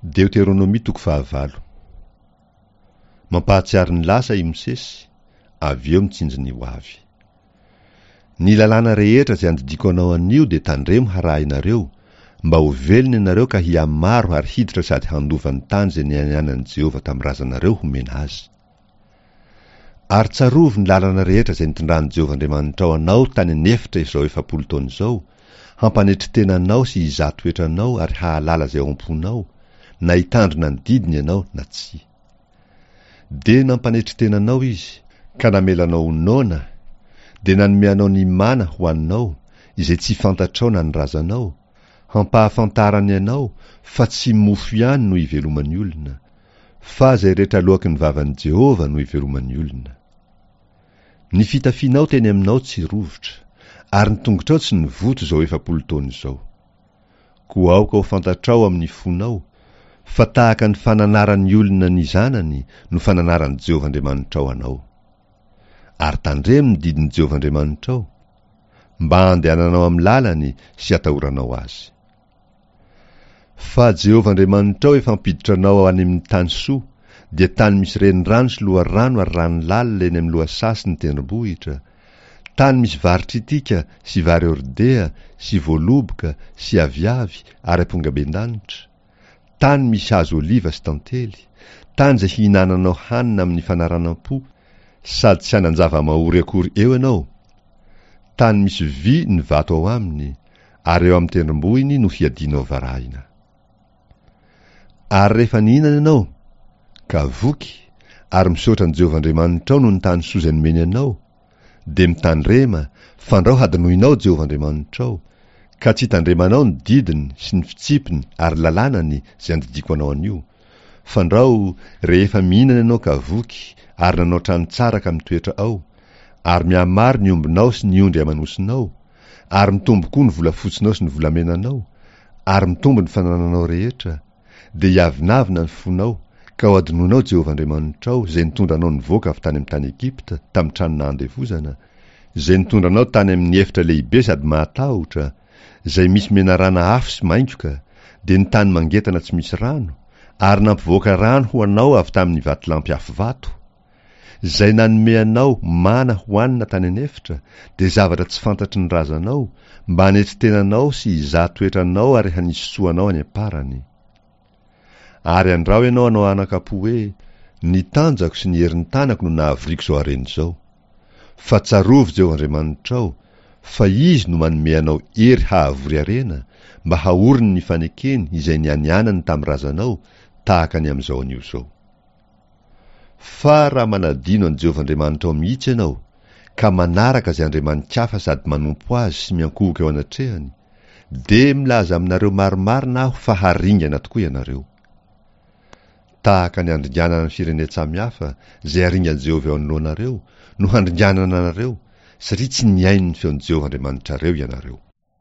Deoteronomia toko fahavalo. Mampahatsiaro ny lasa i Mosesy, avy eo mitsinjo ny ho avy. Ny lalàna rehetra izay andidiako anao anio dia tandremo harahinareo, mba ho velona ianareo ka hihamaro ary hiditra sady handova ny tany izay nianianan'i Jehovah tamin'ny razanareo homena azy. Ary tsarovy ny lalana rehetra izay nitondran'i Jehovah Andriamanitrao anao tany an'efitra izao 40 taona izao, hampanetry tena anao sy hizaha toetra anao ary hahalala izay ao am-ponao, na hitandrina ny didiny ianao na tsia. Dia nampanetry tena anao Izy, ka namela anao ho noana, dia nanome anao ny mana hohaninao, izay tsy fantatrao na ny razanao, hampahafantarany anao fa tsy mofo ihany no iveloman'ny olona, Fa izay rehetra aloaky ny vavan'i Jehovah no iveloman'ny olona. Ny fitafianao teny aminao tsy rovitra, ary ny tongotrao tsy nivoto izao 40 taona izao. Koa aoka ho fantatrao amin'ny fonao, fa tahaka ny fananaran'ny olona ny zanany no fananaran'i Jehovah Andriamanitrao anao. Ary tandremo ny didin'i Jehovah Andriamanitrao, mba handehananao amin'ny lalany sy hatahoranao azy. Fa Jehovah Andriamanitrao efa hampiditra anao any amin'ny tany soa, dia tany misy renirano sy loharano ary rano lalina eny amin'ny lohasaha sy ny tendrombohitra, tany misy vary tritika sy vary hordea sy voaloboka sy aviavy ary ampongabendanitra, tany misy hazo oliva sy tantely, tany izay hihinananao hanina amin'ny fanaranam-po, sady tsy hanan-java-mahory akory eo ianao, tany misy vy ny vato ao aminy, ary eo amin'ny tendrombohiny no hiadianao varahina. Ary rehefa nihinana ianao, ka voky, ary misaotra an'i Jehovah Andriamanitrao noho ny tany soa izay nomeny anao, dia mitandrema, fandrao hadinoinao Jehovah Andriamanitrao, ka tsy hitandremanao ny didiny sy ny fitsipiny ary lalànany izay andidiako anao anio, fandrao rehefa mihinana ianao ka voky ary nanao trano tsara ka mitoetra ao, ary mihamaro ny ombinao sy ny ondry aman'osinao, ary mitombo koa ny volafotsinao sy ny volamenanao, ary mitombo ny fanananao rehetra, dia hiavonavona ny fonao, ka ho adinoinao Jehovah Andriamanitrao, izay nitondra anao nivoaka avy tany amin'ny tany Egypta, tamin'ny trano nahandevozana, izay nitondra anao tany amin'ny efitra lehibe sady mahatahotra, izay misy menarana afo sy maingoka, dia ny tany mangetana tsy misy rano, ary nampivoaka rano ho anao avy tamin'ny vatolampy afo vato, Izay nanome anao mana hohanina tany an'efitra dia zavatra tsy fantatry ny razanao, mba hanetry tena anao sy hizaha toetra anao ary hanisy soa anao any am-parany. Ary andrao ianao hanao anakam-po hoe, Ny tanjako sy ny herin'ny tanako no nahavoriako izao harena izao. Fa tsarovy Jehovah Andriamanitrao, fa Izy no manome anao hery hahavory harena, mba haoriny ny fanekeny izay nianianany tamin'ny razanao, tahaka ny amin'izao anio izao. Fa raha manadino an'i Jehovah Andriamanitrao mihitsy ianao, ka manaraka izay andriamani-kafa sady manompo azy sy miankohoka eo anatrehany, dia milaza aminareo marimarina aho fa haringana tokoa ianareo. Tahaka ny handringanana ny firenen-tsamihafa, izay haringan'i Jehovah eo anoloanareo, no handringanana anareo, satria tsy nihaino ny feon'i Jehovah Andriamanitrareo ianareo.